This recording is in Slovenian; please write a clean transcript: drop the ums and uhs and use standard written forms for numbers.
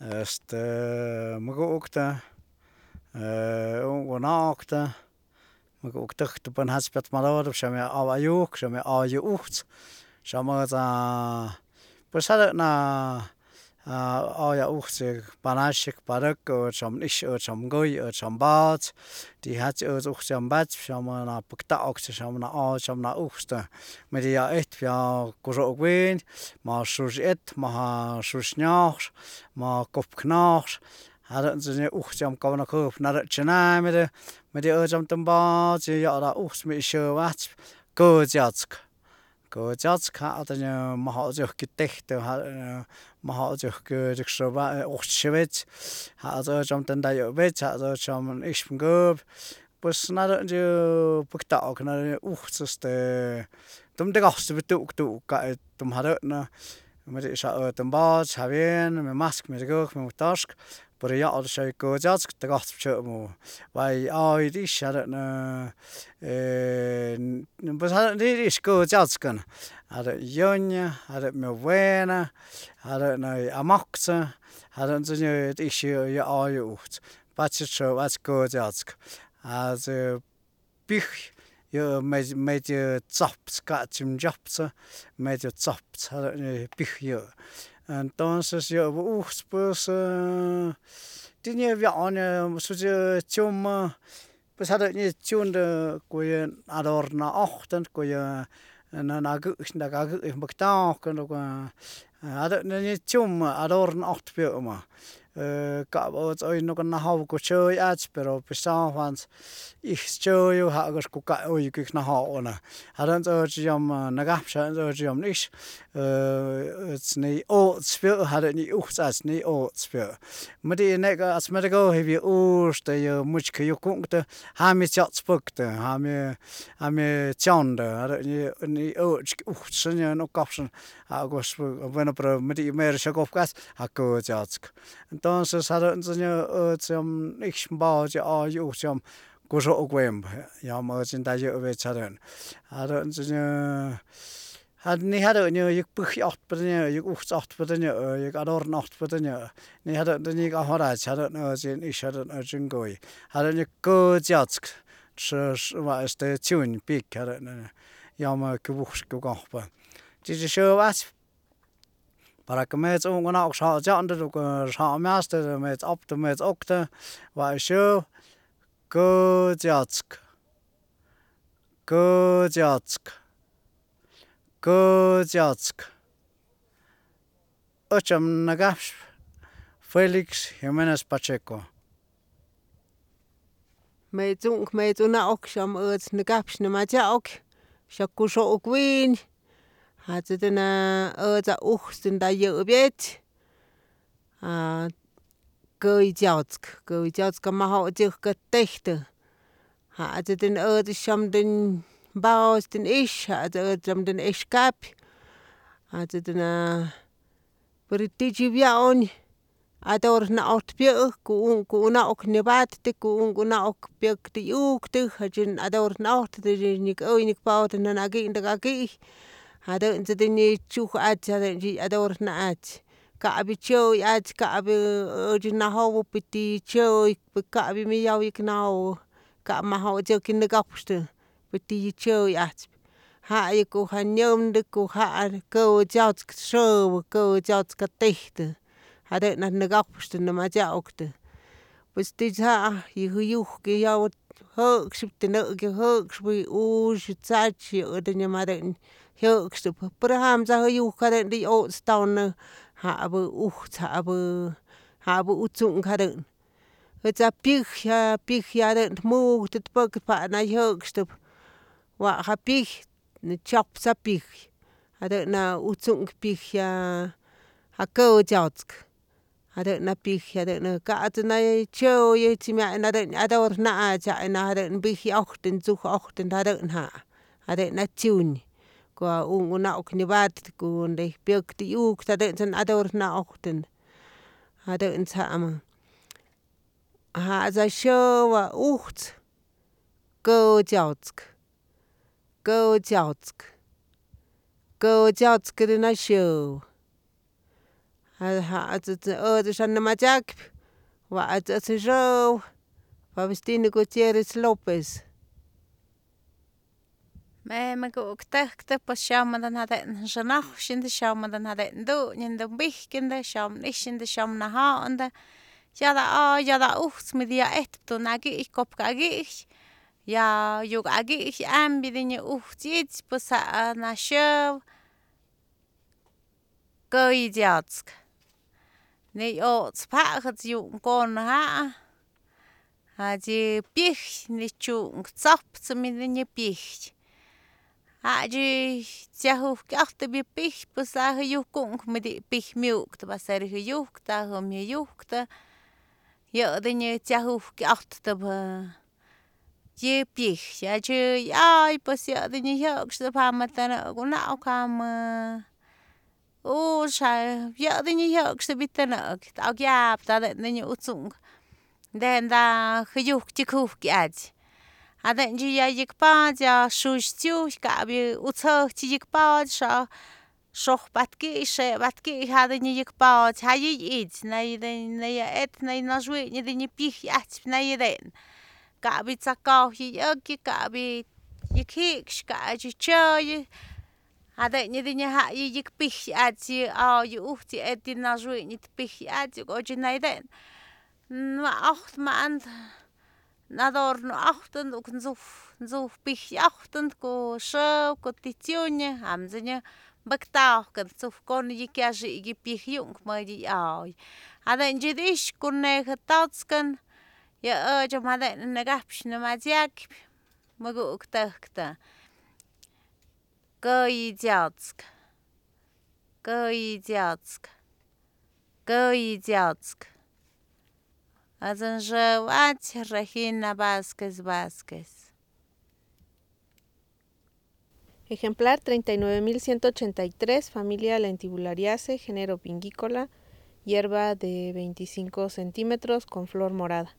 Magu'ukta ungunaaqta magu'uktujta panjatspyat malorp xame awayuj xame awayu ujtz xamët's pues jadë awya ujtz panaxyë paräk ät xa'm i'ixë ät xa'm kuy ät xa'm pat's tijatyë ät ujtz yän patspy xamë näpëkta'auk xamë na'aty xamë na'ujtztä mëdë ya ijtp ya kuxo'ok wi'in ma xuxy it ma xuxy nyojx ma kupk njojx jadu'nt's yë ujtz yam konakjäjpy narë tzyänamyä mëdë yë ät yam tën pat's yë ya'ut ujtz mi'ixyäpatspë kätsyatsk jadë majot'syäjk tejtë majot'syäjk ujtzyxyäpetsy ja'ts ät yam tän tayu'petsy ja'ts ät yam i'ixpë käpy pues narë'ëntyë päkta'auk narë ujtz tum tikojtzypyë tu'uk ka'y tum jadä'në mëdë xa ätän pat's jabyen myamask myadëkëjk myamujtoxk pero ya'ut xyay kätsyatsk tikojtspy tzyä'mä way awit i'ix jadä'në pues jadä't i'ix kätsyatskën jadë yönë jadë myawenë jadä'në amojktzë jadë'nt's i'ix yë awayu ujtz patzyë xäp'aty kätsyatsk pyjy yë medio tsojptz ka'tzyë tsyoptzë medio tsojptz jadä'n yë pyjy yë entonces yä'pä ujtz pues ti'i nyäpya'a tyumä pues jadä't nyä tyundä ku yä adorna'ojtän ku yä näkä'y mpäktajaukä jadä't nyä tyumä adorna'ojtpä yä'mä ka'p ät oy näkä najowa ku tzyäy'aty pero pues jantz ijtz tzyäyu ja'kutyä ku ka'y oyukä'k najowä jadä'ntz ät yam nakapsy jadä'ntz ät yam i'ixë ät nä'y o'tspyä jadä nyä ujtz nä'y o'tspyä mädi ne'kä myadëkäjip yä uxtä yä mutzkajyujku'ktä jamyë tsyo'tzpäktä jamyë tsyontä jadä nyä ä'tzyk ujtz nyä nukopsnë bueno pero mädi mero syakopka'at ja kätsyatsk entonces jadä'ntz ät yam i'ix mpat's yä awayu ujtz yam kuxo'ok wempä yam ät ntayu'petsy jadä'ntz ni jadä yäk päjy'ojtpatä yäk ujtz'ojtpatä yäk adorna'ojtpatä ni jadä't nyäk ajodaty jadä't ät i'ix jadä't ät nkuy jadä nyä kätsyatsk tzyuny pik jadä't yam kyuwujskykojpa ti'i syäp'aty para que metz unkuna'ok sja'tsya'ntä sja'myastä metz optä metz oktä wa syäp kätsyatsk ät yam nakapsy Felix Jimenez Pacheco. Metz una'ok xam ät nakapsy nämatya'ok xak kuxo'ok wi'in ja'tzätä ätza ujtz ntayä'pyetsy kä'ytsyatsk majot'syäjkä tejtä ja'tzä ät xam tän mpatz tän ix ja'tzä ät yam tän exkapy ja'tzä pero ti'tzyä wya'u adorna'ojtpyä ku una'ok nyäpattä ku unkuna'ok pyäktä 'yuktä jejtzye adorna'ojttä nyäk oy nyäk pautät nä'ki'ntäjkäki' jadä'ntzä nyä tzyuj'aty jadä'ntzye adorna'aty ka'pyä tzyä'y'aty ka'pyä äjtyät najowä tiyä tzyä'y ka'pyä miyaujik najowä ka'p majot'syäki nä'kojpstä tiyä tzyä'y'ajtzyp ja'yä ja nyämtä ku kä'tsyatsk säwä kä'tsyatska tejtä jadä'nat nä'kojpstä nämatya'oktä pues ti'tz yä yujki yawä jä'ksyptä nä'ki jä'kspä usyä tzatz yä'tä nyämatä jyä'kstäpä pero jamtza je yuj jadä'ntä o'tztaunä ja'pä ujtz ja'pä utzu'k jadä'nh ät pyäj jadä't mujtyät päkpa nä jyä'kstäp wa ja pyäj tzyoptza pyäj jadä't na utzu'k pyäj ja kä'tsyatsk jadä't pyäj jadä't ka'tzä tzyä'yi jadä't adorna'aty jadä't mpijyajtä tzuj'ojtä jadä't jadä't tzyuny ku ja unkuna'ok nyäpatät ku donde pyäktä 'yuktä jadä't adorna'ojtä jadä'ntz ja'tza syäwa ujtz kä'tsyatsk na syäwä Shanamachac, Row, Faustino Gutierrez López. Me gukta pues shamadan haden shanach in de shamadan haden do in de bichkinde sham nicht in de sham na ha und ja da uchts mit dia to nagi ich kop gagi ich ja jog agi ich am bidine uchts pues na show goy jatsk ne o spachat ju kon ha die pich nicht chu zap zum in de pich Haji tiahuf karte bi pich besage jukung met die pich mjukt was er gejukt daar om je jukte ja dan je tiahuf karte te je pich ja je ja pas ja dan je juk ste pa matana guna kam o sha ja dan je juk ste bitana ook ja dan je utsung dan da gejukt je kuf kiat Hadden je jikpaad ja shushtiu kabi utso jikpaad shoch batki hadden je jikpaad hayi iets nee et nee nazwe je den je pich at nee den kabi tsakau je kabi je kiks kaji choy hadden je den je ha je jikpich at je je ucht je et din nazwe niet pich at je go je nee den maar 8 maand Nador no achten ook zo pich achten ko show ko titione hamzenya baktaw kan zo kon je kaje je pich jong maar die ai hada je dis kon ne getatsken ja je maar ne gapsh ne mazyak mago ook takta goyjatsk Azanjewat Regina Vázquez. Ejemplar 39.183, familia Lentibulariaceae, género Pingícola, hierba de 25 centímetros con flor morada.